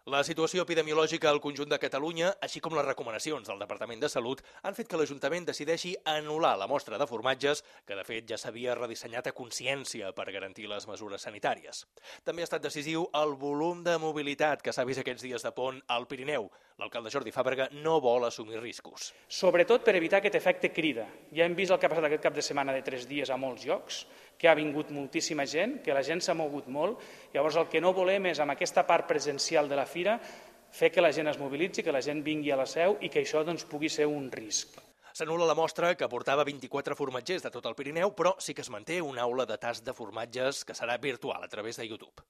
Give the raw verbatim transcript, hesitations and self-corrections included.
La situació epidemiològica al conjunt de Catalunya, així com les recomanacions del Departament de Salut, han fet que l'Ajuntament decideixi anul·lar la mostra de formatges, que de fet ja s'havia redissenyat a consciència per garantir les mesures sanitàries. També ha estat decisiu el volum de mobilitat que s'ha vist aquests dies de pont al Pirineu. L'alcalde Jordi Fàbrega no vol assumir riscos. Sobretot per evitar aquest efecte crida. Ja hem vist el que ha passat aquest cap de setmana de tres dies a molts llocs, que ha vingut moltíssima gent, que la gent s'ha mogut molt. Llavors el que no volem és, amb aquesta part presencial de la fira, fer que la gent es mobilitzi, que la gent vingui a la seu i que això doncs, pugui ser un risc. S'anul·la la mostra, que portava vint-i-quatre formatgers de tot el Pirineu, però sí que es manté una aula de tast de formatges que serà virtual a través de YouTube.